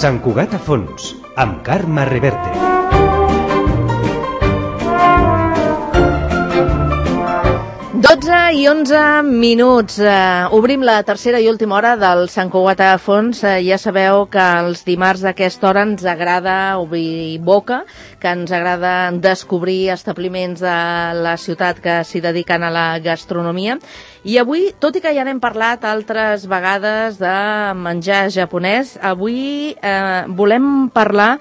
Sant Cugat a fons, amb Carme Reverte. I 11 minuts. Obrim la tercera i última hora del Sant Cugat a fons. Ja sabeu que els dimarts d'aquesta hora ens agrada obrir boca, que ens agrada descobrir establiments de la ciutat que s'hi dediquen a la gastronomia. I avui, tot i que ja n'hem parlat altres vegades de menjar japonès, avui volem parlar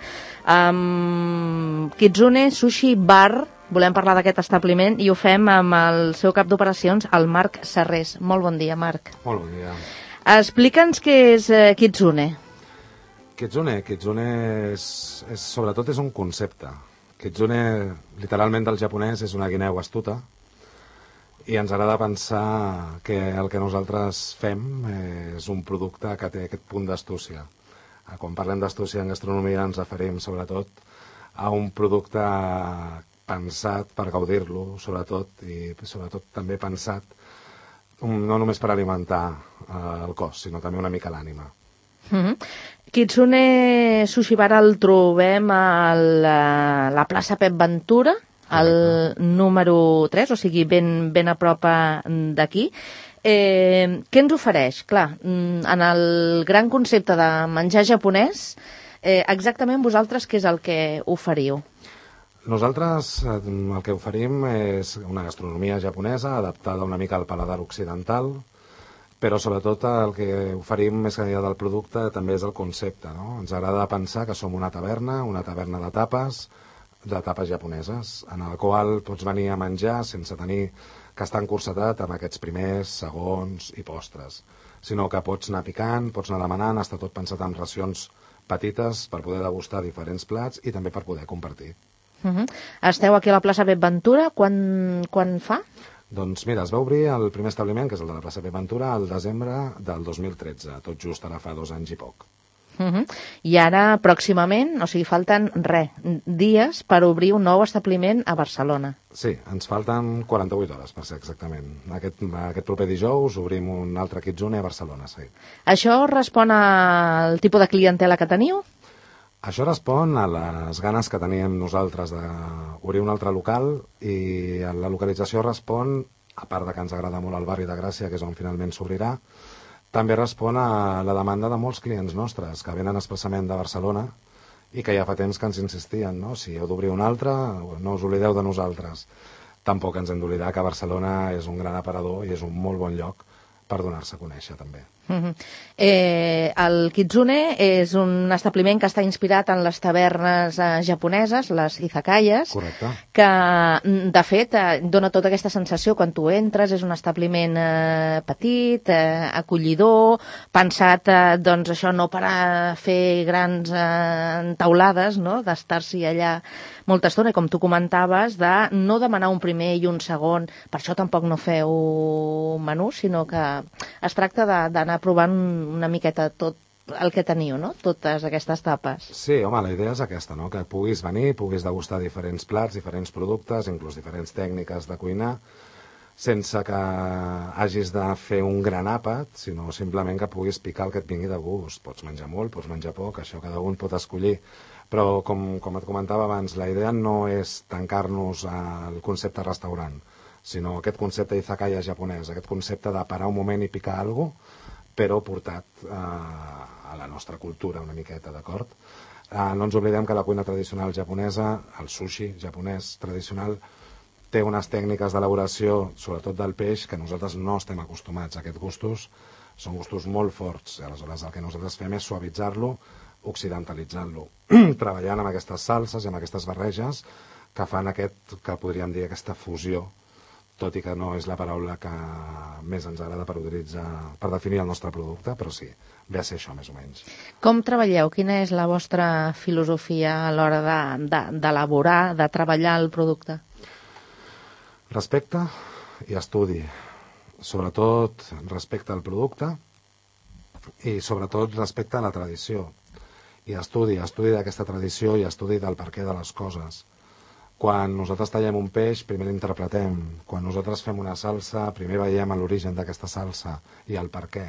amb Kitsune Sushi Bar. Volem parlar d'aquest establiment i ho fem amb el seu cap d'operacions, el Marc Serrés. Molt bon dia, Marc. Molt bon dia. Explica'ns què és Kitsune. Kitsune sobretot és un concepte. Kitsune, literalment del japonès, és una guineu astuta i ens agrada pensar que el que nosaltres fem és un producte que té aquest punt d'astúcia. Quan parlem d'astúcia en gastronomia ens referim sobretot a un producte pensat per gaudir-lo, sobretot, i sobretot també pensat no només per alimentar el cos, sinó també una mica l'ànima. Kitsune Sushi Bar el trobem a la plaça Pep Ventura, al número 3, o sigui, ben a prop d'aquí. Què ens ofereix? Clar, en el gran concepte de menjar japonès, exactament vosaltres què és el que oferiu? Nosaltres el que oferim és una gastronomia japonesa adaptada una mica al paladar occidental, però sobretot el que oferim més que enllà del producte també és el concepte, no? Ens agrada pensar que som una taverna de tapes japoneses, en el qual pots venir a menjar sense tenir que estar encursetat amb aquests primers, segons i postres, sinó que pots anar picant, pots anar demanant, està tot pensat en racions petites per poder degustar diferents plats i també per poder compartir. Esteu aquí a la plaça Pep Ventura, quan fa? Doncs mira, es va obrir el primer establiment, que és el de la plaça Pep Ventura, al desembre del 2013, tot just ara fa 2 anys i poc. I ara, pròximament, o sigui, falten dies per obrir un nou establiment a Barcelona. Sí, ens falten 48 hores, per ser exactament. Aquest proper dijous obrim un altre Kitsune a Barcelona, sí. Això respon al tipus de clientela que teniu? Això respon a les ganes que teníem nosaltres d'obrir un altre local i la localització respon, a part de que ens agrada molt el barri de Gràcia, que és on finalment s'obrirà, també respon a la demanda de molts clients nostres que venen expressament de Barcelona i que ja fa temps que ens insistien, no? Si heu d'obrir un altre, no us oblideu de nosaltres. Tampoc ens hem d'oblidar que Barcelona és un gran aparador i és un molt bon lloc per donar-se a conèixer també. El Kitsune és un establiment que està inspirat en les tavernes japoneses, les izakayas. Correcte. Que de fet dona tota aquesta sensació quan tu entres, és un establiment petit, acollidor, pensat doncs això no per a fer grans taulades, no? D'estar-s'hi allà molta estona, i com tu comentaves, de no demanar un primer i un segon, per això tampoc no feu menú, sinó que es tracta d'anar provant una miqueta tot el que teniu, no? Totes aquestes tapes. Sí, home, la idea és aquesta, no? Que puguis venir, puguis degustar diferents plats, diferents productes, inclús diferents tècniques de cuinar, sense que hagis de fer un gran àpat, sinó simplement que puguis picar el que et vingui de gust. Pots menjar molt, pots menjar poc, això cada un pot escollir. Però, com et comentava abans, la idea no és tancar-nos al concepte restaurant, sinó aquest concepte d'izakaya japonès, aquest concepte de parar un moment i picar alguna cosa, però portat a la nostra cultura una miqueta, d'acord? No ens oblidem que la cuina tradicional japonesa, el sushi japonès tradicional, té unes tècniques d'elaboració, sobretot del peix, que nosaltres no estem acostumats a aquests gustos, són gustos molt forts, aleshores el que nosaltres fem és suavitzar-lo, occidentalitzant-lo, treballant amb aquestes salses i amb aquestes barreges que fan que podríem dir aquesta fusió, tot i que no és la paraula que més ens agrada per utilitzar, per definir el nostre producte, però sí, ve a ser això més o menys. Com treballeu? Quina és la vostra filosofia a l'hora d'elaborar, de treballar el producte? Respecte i estudi, sobretot respecte al producte i sobretot respecte a la tradició. I estudi d'aquesta tradició i estudi del perquè de les coses. Quan nosaltres tallem un peix, primer l'interpretem. Quan nosaltres fem una salsa, primer veiem l'origen d'aquesta salsa i el per què.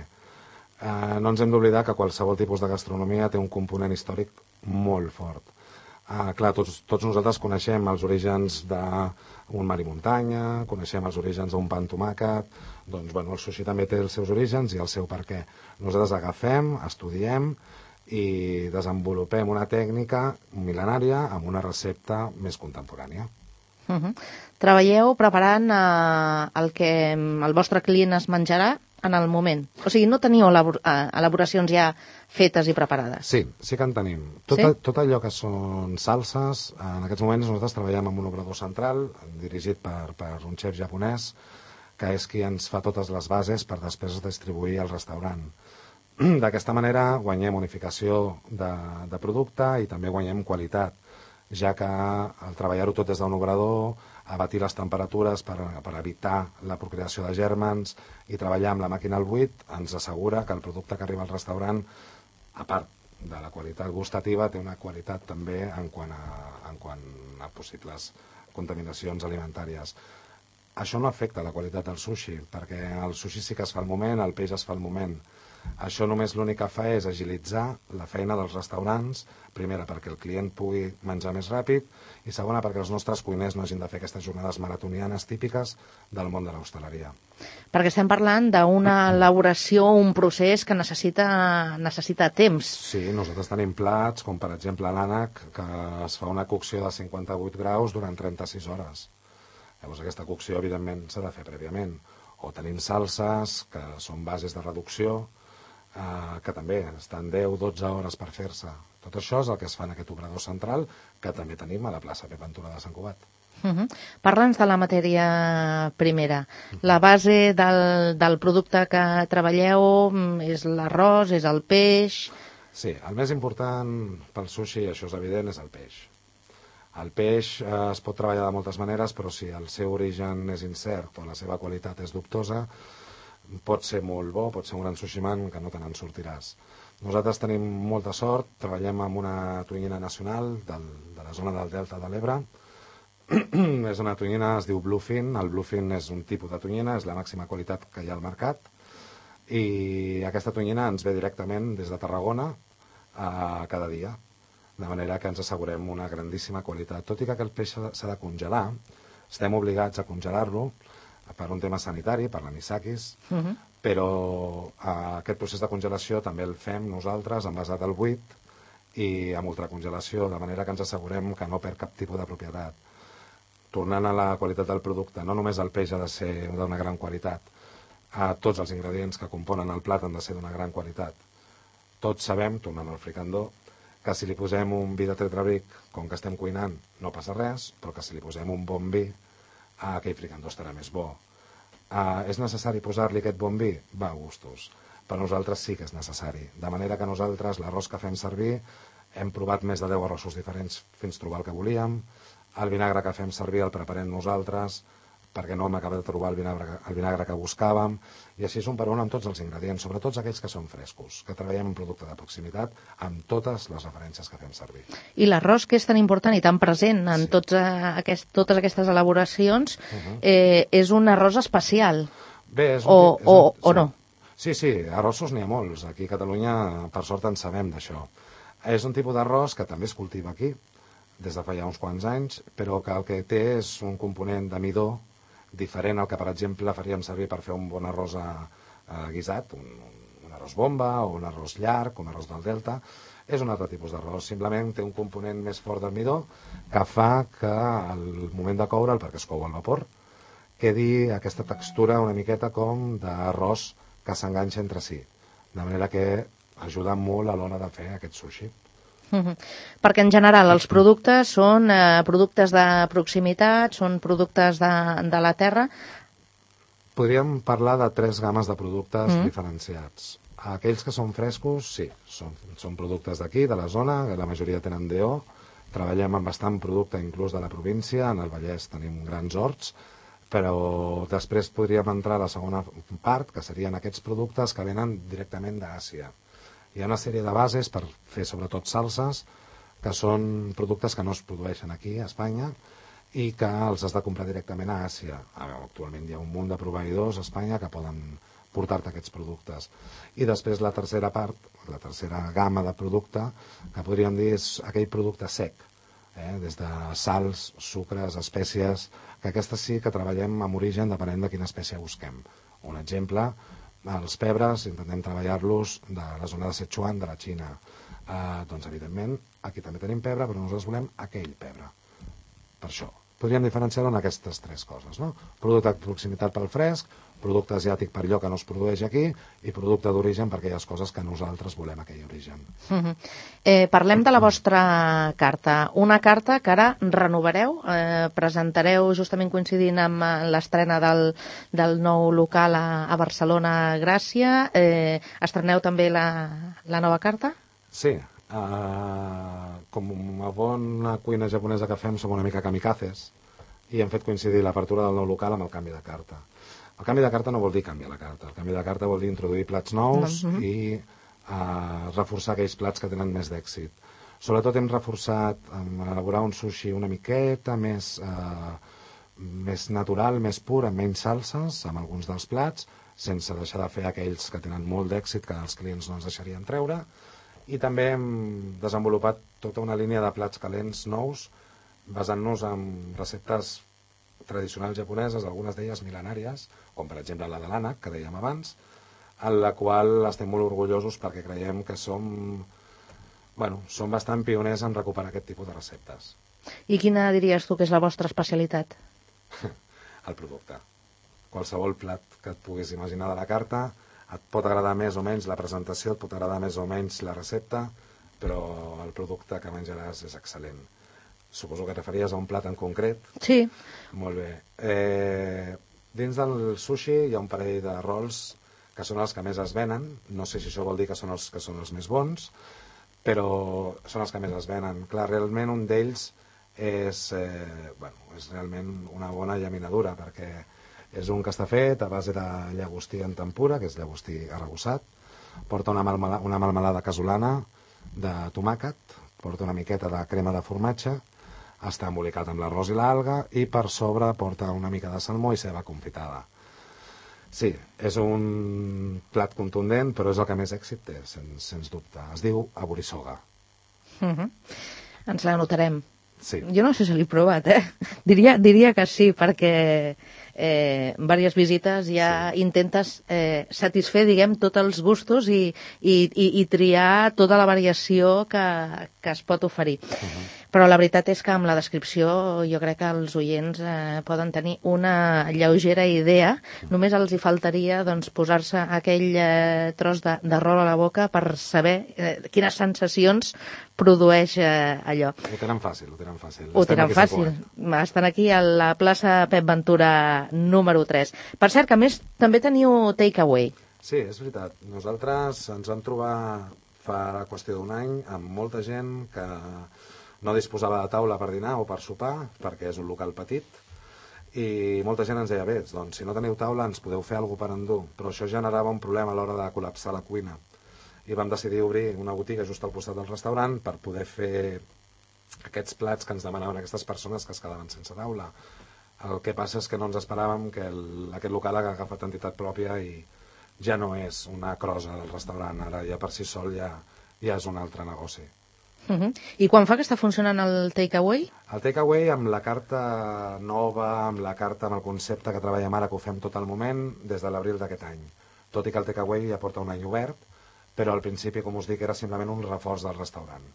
No ens hem d'oblidar que qualsevol tipus de gastronomia té un component històric molt fort. Clar, tots nosaltres coneixem els orígens d'un mar i muntanya, coneixem els orígens d'un pa amb tomàquet, doncs bueno, el sushi també té els seus orígens i el seu per què. Nosaltres agafem, estudiem i desenvolupem una tècnica mil·lenària amb una recepta més contemporània. Treballeu preparant el que el vostre client es menjarà en el moment. O sigui, no teniu elaboracions ja fetes i preparades. Sí, sí que en tenim. Tot allò que són salses, en aquests moments nosaltres treballem amb un obrador central dirigit per un xef japonès, que és qui ens fa totes les bases per després distribuir al restaurant. D'aquesta manera guanyem unificació de producte i també guanyem qualitat, ja que al treballar-ho tot des d'un obrador, abatir les temperatures per evitar la procreació de gèrmens i treballar amb la màquina al buit ens assegura que el producte que arriba al restaurant, a part de la qualitat gustativa, té una qualitat també en quant a possibles contaminacions alimentàries. Això no afecta la qualitat del sushi, perquè el sushi sí que es fa al moment, el peix es fa al moment. Això només l'únic que fa és agilitzar la feina dels restaurants, primera perquè el client pugui menjar més ràpid i segona perquè els nostres cuiners no hagin de fer aquestes jornades maratonianes típiques del món de l'hostaleria. Perquè estem parlant d'una elaboració, un procés que necessita temps. Sí, nosaltres tenim plats, com per exemple l'ànec, que es fa una cocció de 58 graus durant 36 hores. Llavors aquesta cocció, evidentment, s'ha de fer prèviament. O tenim salses, que són bases de reducció, que també estan 10-12 hores per fer-se. Tot això és el que es fa en aquest obrador central, que també tenim a la plaça Pep Ventura de Sant Cugat. Parla'ns de la matèria primera. La base del producte que treballeu és l'arròs, és el peix... Sí, el més important pel sushi, això és evident, és el peix. El peix es pot treballar de moltes maneres, però si el seu origen és incert o la seva qualitat és dubtosa, pot ser molt bo, pot ser un gran sushiman que no te n'en sortiràs. Nosaltres tenim molta sort, treballem amb una tonyina nacional de la zona del Delta de l'Ebre. És una tonyina, es diu Bluefin. El Bluefin és un tipus de tonyina, és la màxima qualitat que hi ha al mercat. I aquesta tonyina ens ve directament des de Tarragona cada dia, de manera que ens assegurem una grandíssima qualitat. Tot i que aquest peix s'ha de congelar, estem obligats a congelar-lo per un tema sanitari, per l'anisakis, però aquest procés de congelació també el fem nosaltres envasat al buit i amb ultracongelació, de manera que ens assegurem que no perd cap tipus de propietat. Tornant a la qualitat del producte, no només el peix ha de ser d'una gran qualitat, tots els ingredients que componen el plat han de ser d'una gran qualitat. Tots sabem, tornant al fricandó, que si li posem un vi de tetrabric, com que estem cuinant, no passa res, però que si li posem un bon vi, aquell fricandó estarà més bo. És necessari posar-li aquest bon vi? Va a gustos. Per nosaltres sí que és necessari. De manera que nosaltres l'arròs que fem servir hem provat més de 10 arrossos diferents fins trobar el que volíem. El vinagre que fem servir el preparem nosaltres perquè no hem acabat de trobar el vinagre que buscàvem, i així és un per un amb tots els ingredients, sobretot aquells que són frescos, que treballem un producte de proximitat amb totes les referències que fem servir. I l'arròs, que és tan important i tan present en totes aquestes elaboracions, és un arròs especial, Bé, o no? Sí, arrossos n'hi ha molts. Aquí a Catalunya, per sort, en sabem d'això. És un tipus d'arròs que també es cultiva aquí, des de fa ja uns quants anys, però que el que té és un component de midó diferent al que, per exemple, faríem servir per fer un bon arròs guisat, un arròs bomba o un arròs llarg, un arròs del Delta. És un altre tipus d'arròs, simplement té un component més fort del midó que fa que al moment de coure'l, perquè es cou al vapor, quedi aquesta textura una miqueta com d'arròs que s'enganxa entre si, de manera que ajuda molt a l'hora de fer aquest sushi. Perquè en general els productes són productes de proximitat, són productes de la terra. Podríem parlar de 3 games de productes diferenciats. Aquells que són frescos, sí, són productes d'aquí, de la zona, la majoria tenen DO. Treballem amb bastant producte inclús de la província, en el Vallès tenim grans horts, però després podríem entrar a la segona part, que serien aquests productes que venen directament d'Àsia. Hi ha una sèrie de bases per fer sobretot salses, que són productes que no es produeixen aquí a Espanya i que els has de comprar directament a Àsia. Actualment hi ha un munt de proveïdors a Espanya que poden portar-te aquests productes. I després la tercera part, la tercera gamma de producte, que podríem dir és aquell producte sec, des de sals, sucres, espècies, que aquestes sí que treballem amb origen depenent de quina espècie busquem. Un exemple, els pebres, intentem treballar-los de la zona de Sichuan, de la Xina. Doncs, evidentment, aquí també tenim pebre, però nosaltres volem aquell pebre. Per això, podríem diferenciar-ho en aquestes tres coses, no? Producte de proximitat pel fresc, producte asiàtic per allò que no es produeix aquí i producte d'origen per aquelles coses que nosaltres volem aquell origen. Parlem de la vostra carta. Una carta que ara renovareu, presentareu justament coincidint amb l'estrena del nou local a Barcelona, Gràcia. Estreneu també la nova carta? Sí, com a bona cuina japonesa que fem, som una mica kamikazes i hem fet coincidir l'apertura del nou local amb el canvi de carta. El canvi de carta no vol dir canviar la carta, el canvi de carta vol dir introduir plats nous i reforçar aquells plats que tenen més d'èxit. Sobretot hem reforçat en elaborar un sushi una miqueta més natural, més pur, amb menys salses, amb alguns dels plats, sense deixar de fer aquells que tenen molt d'èxit que els clients no ens deixarien treure. I també hem desenvolupat tota una línia de plats calents nous, basant-nos en receptes tradicionals japoneses, algunes d'elles mil·lenàries, com per exemple la de l'ànec, que dèiem abans, en la qual estem molt orgullosos perquè creiem que som bastant pioners en recuperar aquest tipus de receptes. I quina diries tu que és la vostra especialitat? El producte. Qualsevol plat que et puguis imaginar de la carta, et pot agradar més o menys la presentació, et pot agradar més o menys la recepta, però el producte que menjaràs és excel·lent. Suposo que et referies a un plat en concret. Sí. Molt bé. Dins del sushi hi ha un parell de rols que són els que més es venen. No sé si això vol dir que són els més bons, però són els que més es venen. Clar, realment un d'ells és realment una bona llaminadura, perquè és un que està fet a base de llagostí en tempura, que és llagostí arrebossat, porta una melmelada casolana de tomàquet, porta una miqueta de crema de formatge, està embolicat amb l'arròs i l'alga i per sobre porta una mica de salmó i ceba confitada. Sí, és un plat contundent, però és el que més èxit té, sens dubte. Es diu aburisoga. Ens l'anotarem. Sí. Jo no sé si l'he provat, Diria que sí, perquè diverses visites ja intentes satisfer, diguem, tots els gustos i triar tota la variació que es pot oferir. Però la veritat és que amb la descripció jo crec que els oients poden tenir una lleugera idea. Només els hi faltaria posar-se aquell tros de rol a la boca per saber quines sensacions produeix allò. Ho tenen fàcil. Ho tenen fàcil. Estan aquí a la plaça Pep Ventura número 3. Per cert, que a més també teniu takeaway. Sí, és veritat. Nosaltres ens vam trobar fa qüestió d'un any amb molta gent que no disposava de taula per dinar o per sopar, perquè és un local petit, i molta gent ens deia, bé, doncs si no teniu taula ens podeu fer alguna cosa per endur, però això generava un problema a l'hora de col·lapsar la cuina. I vam decidir obrir una botiga just al costat del restaurant per poder fer aquests plats que ens demanaven aquestes persones que es quedaven sense taula. El que passa és que no ens esperàvem que aquest local ha agafat entitat pròpia i ja no és una crosa del restaurant, ara ja per si sol ja és un altre negoci. I quan fa que està funcionant el takeaway? El takeaway amb la carta nova, amb el concepte que treballem ara, que ho fem tot el moment, des de l'abril d'aquest any. Tot i que el takeaway ja porta un any obert, però al principi, com us dic, era simplement un reforç del restaurant.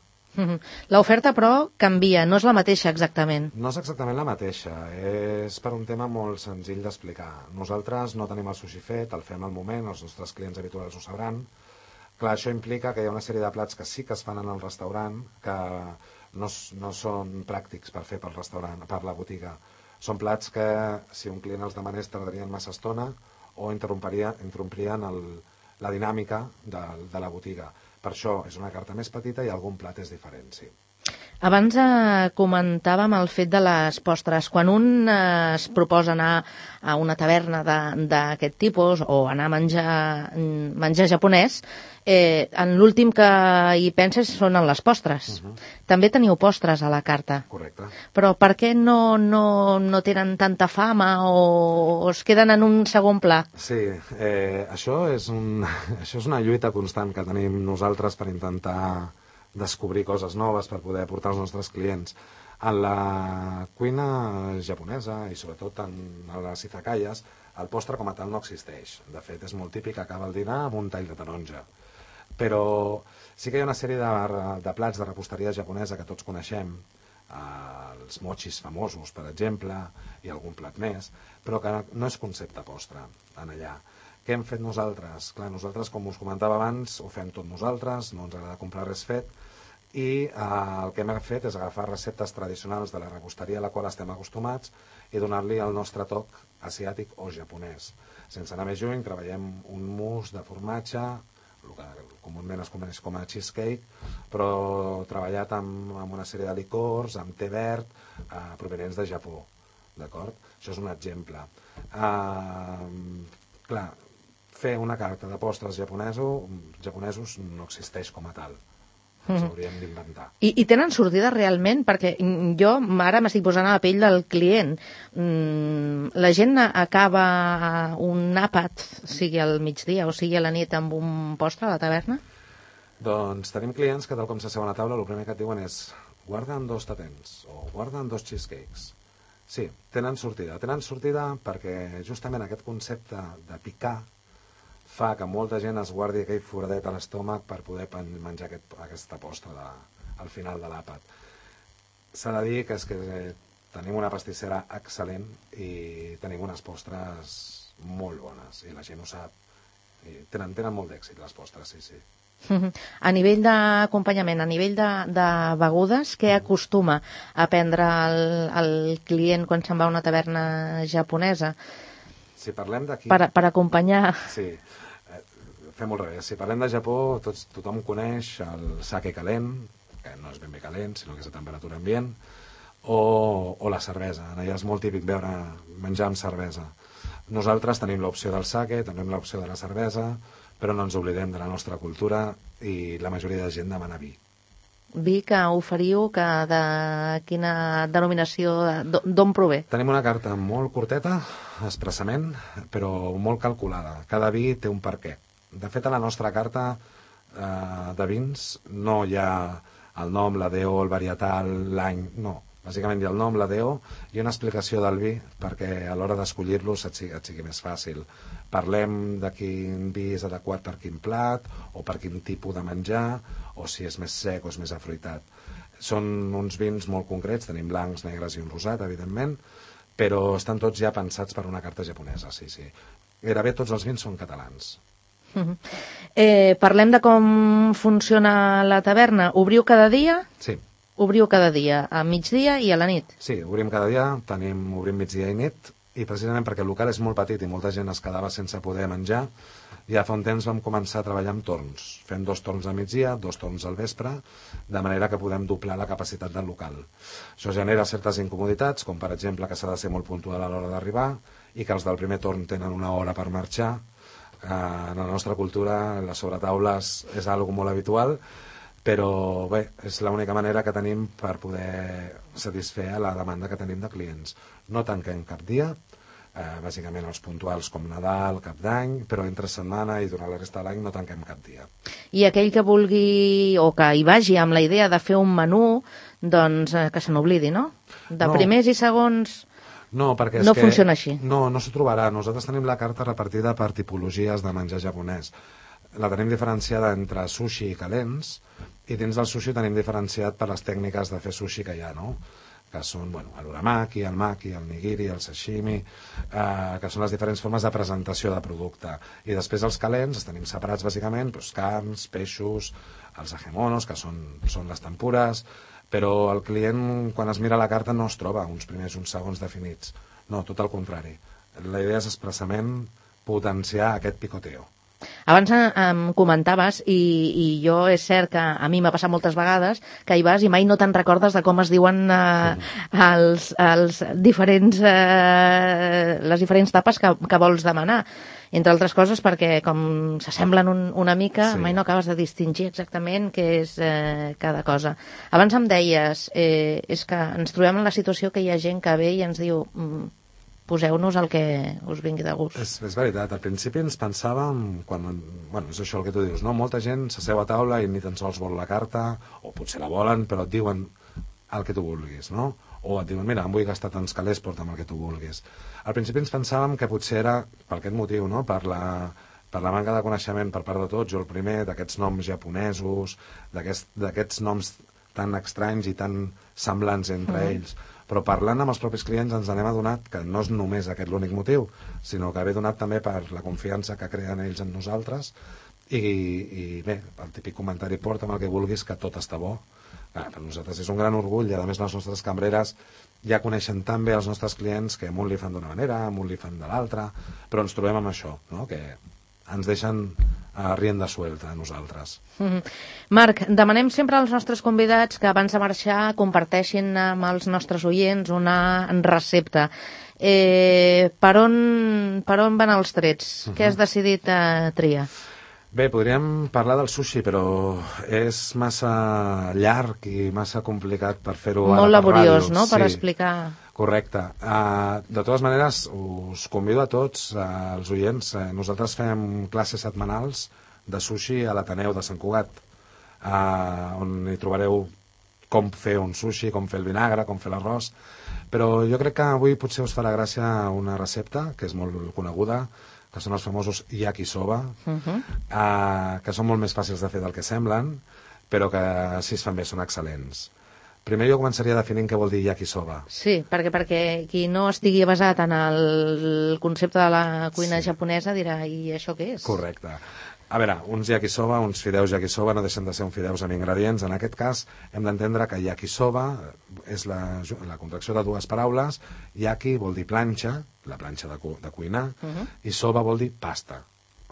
L'oferta, però, canvia, no és la mateixa exactament. No és exactament la mateixa, és per un tema molt senzill d'explicar. Nosaltres no tenim el sushi fet, el fem al moment, els nostres clients habituals ho sabran. Clar, això implica que hi ha una sèrie de plats que sí que es fan en el restaurant, que no són pràctics per fer pel restaurant, per la botiga. Són plats que, si un client els demanés, tardarien massa estona o interromprien la dinàmica de la botiga. Per això és una carta més petita i algun plat és diferent, sí. Abans comentàvem el fet de les postres. Quan un es proposa anar a una taverna d'aquest tipus o anar a menjar japonès, en l'últim que hi penses són en les postres. També teniu postres a la carta. Correcte. Però per què no tenen tanta fama o es queden en un segon pla? Sí, això és una lluita constant que tenim nosaltres per intentar descobrir coses noves per poder portar als nostres clients. En la cuina japonesa i sobretot en les izakayas, el postre com a tal no existeix. De fet, és molt típic acabar el dinar amb un tall de taronja. Però sí que hi ha una sèrie de plats de reposteria japonesa que tots coneixem, els mochis famosos, per exemple, i algun plat més, però que no és concepte postre en allà. Què hem fet nosaltres? Clar, nosaltres, com us comentava abans, ho fem tot nosaltres, no ens agrada comprar res fet, i el que hem fet és agafar receptes tradicionals de la reposteria a la qual estem acostumats i donar-li el nostre toc asiàtic o japonès. Sense anar més lluny, treballem un mousse de formatge, el que comúment es coneix com a cheesecake, però treballat amb una sèrie de licors, amb te verd, provenents de Japó. D'acord? Això és un exemple. Clar, fer una carta de postres japonesos no existeix com a tal. Ens hauríem d'inventar. I tenen sortida realment? Perquè jo ara m'estic posant a la pell del client. La gent acaba un àpat, sigui al migdia o sigui a la nit, amb un postre a la taverna? Doncs tenim clients que, tal com s'asseuen a taula, el primer que et diuen és guarda'n 2 tatens o guarda'n 2 cheesecakes. Sí, tenen sortida. Tenen sortida perquè justament aquest concepte de picar fa que molta gent es guardi aquell foradet a l'estómac per poder menjar aquesta postre al final de l'àpat. S'ha de dir que tenim una pastissera excel·lent i tenim unes postres molt bones, i la gent ho sap. I tenen molt d'èxit les postres, sí. A nivell d'acompanyament, a nivell de begudes, què acostuma a prendre el client quan se'n va a una taverna japonesa? Si parlem d'aquí... Per acompanyar... Sí, fem al revés. Si parlem de Japó, tothom coneix el sake calent, que no és ben bé calent, sinó que és a temperatura ambient, o la cervesa. Allà és molt típic menjar amb cervesa. Nosaltres tenim l'opció del sake, tenim l'opció de la cervesa, però no ens oblidem de la nostra cultura i la majoria de gent demana vi. Vi que oferiu, que de quina denominació, d'on prové? Tenim una carta molt curteta, expressament, però molt calculada. Cada vi té un perquè. De fet, a la nostra carta de vins no hi ha el nom, la DO, el varietal, l'any, no. Bàsicament hi ha el nom, la DO i una explicació del vi perquè a l'hora d'escollir-los et sigui més fàcil. Parlem de quin vi és adequat per quin plat o per quin tipus de menjar o si és més sec o és més afruitat. Són uns vins molt concrets, tenim blancs, negres i un rosat, evidentment, però estan tots ja pensats per una carta japonesa, sí. Gairebé tots els vins són catalans. Parlem de com funciona la taverna. Obriu cada dia? Sí. Obriu cada dia, a migdia i a la nit? Sí, obrim cada dia, obrim migdia i nit, i precisament perquè el local és molt petit i molta gent es quedava sense poder menjar, ja fa un temps vam començar a treballar amb torns. Fem 2 torns a migdia, 2 torns al vespre, de manera que podem doblar la capacitat del local. Això genera certes incomoditats, com per exemple que s'ha de ser molt puntual a l'hora d'arribar i que els del primer torn tenen una hora per marxar. En la nostra cultura, les sobretaules és algo molt habitual, però bé, és l'única manera que tenim per poder satisfer la demanda que tenim de clients. No tanquem cap dia, bàsicament els puntuals com Nadal, Cap d'Any, però entre setmana i durant la resta de l'any no tanquem cap dia. I aquell que vulgui o que hi vagi amb la idea de fer un menú, doncs que se n'oblidi, no? De primers i segons... No, perquè no funciona així. No s'ho trobarà. Nosaltres tenim la carta repartida per tipologies de menjar japonès. La tenim diferenciada entre sushi i calents, i dins del sushi tenim diferenciat per les tècniques de fer sushi que hi ha, no? Que són l'uramaki, el maki, el nigiri, el sashimi, que són les diferents formes de presentació de producte. I després els calents els tenim separats bàsicament, carns, peixos, els agemonos, que són les tempures, però el client quan es mira la carta no es troba uns primers i uns segons definits. No, tot el contrari. La idea és expressament potenciar aquest picoteo. Abans em comentaves, i jo és cert que a mi m'ha passat moltes vegades, que hi vas i mai no te'n recordes de com es diuen les diferents tapes que vols demanar. Entre altres coses perquè com s'assemblen una mica, mai no acabes de distingir exactament què és cada cosa. Abans em deies, és que ens trobem en la situació que hi ha gent que ve i ens diu poseu-nos el que us vingui de gust. És veritat, al principi ens pensàvem, és això el que tu dius, no? Molta gent s'asseu a taula i ni tan sols vol la carta, o potser la volen, però et diuen el que tu vulguis, no? O et diuen, mira, em vull gastar tants calés, porta'm el que tu vulguis. Al principi ens pensàvem que potser era per aquest motiu, no? Per la manca de coneixement per part de tots, jo el primer, d'aquests noms japonesos, d'aquests noms tan estranys i tan semblants entre ells. Però parlant amb els propis clients ens n'hem adonat que no és només aquest l'únic motiu, sinó que ve donat també per la confiança que creen ells en nosaltres i bé, el típic comentari porta'm el que vulguis que tot està bo. Per nosaltres és un gran orgull i a més les nostres cambreres ja coneixen tan bé els nostres clients que a un li fan d'una manera, a un li fan de l'altra, però ens trobem amb això, no? Que ens deixen rienda suelta a nosaltres. Marc, demanem sempre als nostres convidats que abans de marxar comparteixin amb els nostres oients una recepta. Per on van els trets? Què has decidit triar? Bé, podríem parlar del sushi, però és massa llarg i massa complicat per fer-ho ara per ràdio. Molt laboriós, no?, per explicar. Correcte. De totes maneres, us convido a tots, els oients, nosaltres fem classes setmanals de sushi a l'Ateneu de Sant Cugat, on hi trobareu com fer un sushi, com fer el vinagre, com fer l'arròs, però jo crec que avui potser us farà gràcia una recepta que és molt coneguda, que són els famosos yakisoba, que són molt més fàcils de fer del que semblen, però que si es fan bé són excel·lents. Primer jo començaria definint què vol dir yakisoba. Sí, perquè qui no estigui basat en el concepte de la cuina japonesa dirà, i això què és? Correcte. A veure, uns yakisoba, uns fideus yakisoba no deixen de ser uns fideus amb ingredients. En aquest cas hem d'entendre que yakisoba és la contracció de dues paraules. Yaki vol dir planxa, la planxa de cuinar, i soba vol dir pasta.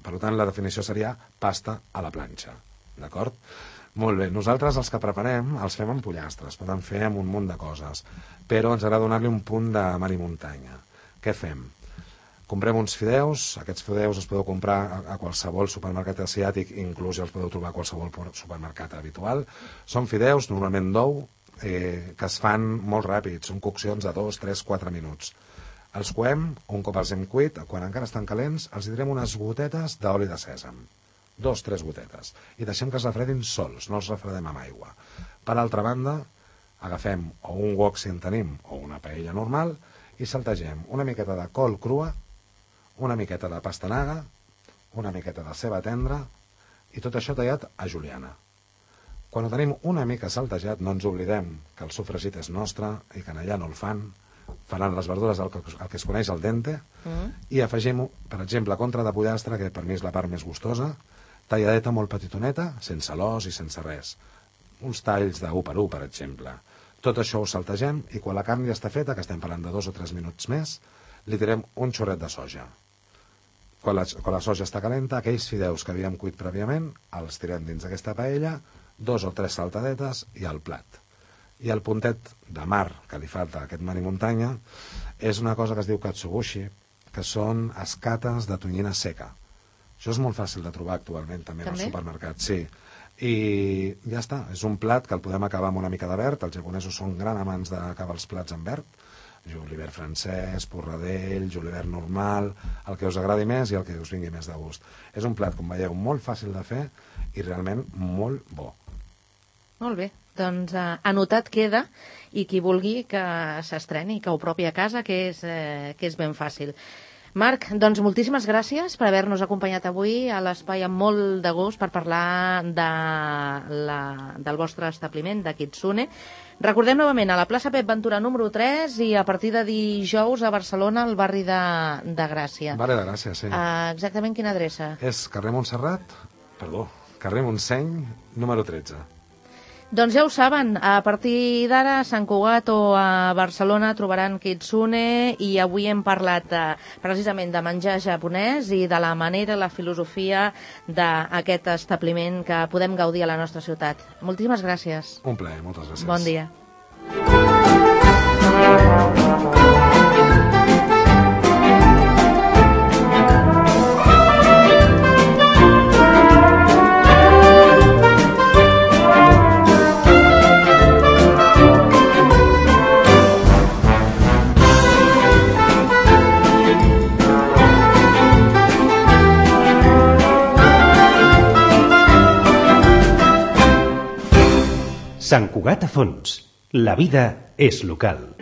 Per tant, la definició seria pasta a la planxa. D'acord? Molt bé, nosaltres els que preparem els fem amb pollastres, poden fer amb un munt de coses, però ens agrada donar-li un punt de mar i muntanya. Què fem? Comprem uns fideus, aquests fideus els podeu comprar a qualsevol supermercat asiàtic, inclús els podeu trobar a qualsevol supermercat habitual. Són fideus, normalment d'ou, que es fan molt ràpid, són coccions de 2, 3, 4 minuts. Els coem, un cop els hem cuit, quan encara estan calents, els direm unes gotetes d'oli de sèsam. 2, 3 gotetes, i deixem que es refredin sols, no els refredem amb aigua. Per altra banda, agafem o un wok si en tenim, o una paella normal, i saltegem una miqueta de col crua, una miqueta de pastanaga, una miqueta de ceba tendra, i tot això tallat a juliana. Quan ho tenim una mica saltejat, no ens oblidem que el sofregit és nostre i que allà no el faran les verdures el que es coneix al dente, i afegim, per exemple, contra de pollastre, que per mi és la part més gustosa, talladeta molt petitoneta, sense l'os i sense res. Uns talls d'1 per 1, per exemple. Tot això ho saltegem i quan la carn ja està feta, que estem parlant de 2 o 3 minuts més, li tirem un xorret de soja. Quan la soja està calenta, aquells fideus que havíem cuit prèviament, els tirem dins d'aquesta paella, 2 o 3 saltadetes i al plat. I el puntet de mar que li falta a aquest mar i muntanya és una cosa que es diu katsubushi, que són escates de tonyina seca. Això és molt fàcil de trobar actualment també al supermercat, sí. I ja està, és un plat que el podem acabar amb una mica de verd, els japonesos són gran amants d'acabar els plats amb verd, julivert francès, porradell, julivert normal, el que us agradi més i el que us vingui més de gust. És un plat, com veieu, molt fàcil de fer i realment molt bo. Molt bé, doncs anotat queda, i qui vulgui que s'estreni, que ho propi a casa, que és ben fàcil. Marc, doncs moltíssimes gràcies per haver-nos acompanyat avui a l'espai amb molt de gust per parlar del vostre establiment, de Kitsune. Recordem novament, a la plaça Pep Ventura número 3 i a partir de dijous a Barcelona, al barri de Gràcia. Barri de Gràcia, sí. Exactament quina adreça? És carrer Montseny, número 13. Doncs ja ho saben, a partir d'ara a Sant Cugat o a Barcelona trobaran Kitsune, i avui hem parlat precisament de menjar japonès i de la manera, la filosofia d'aquest establiment que podem gaudir a la nostra ciutat. Moltíssimes gràcies. Un plaer, moltes gràcies. Bon dia. Sant Cugat a Fons. La vida és local.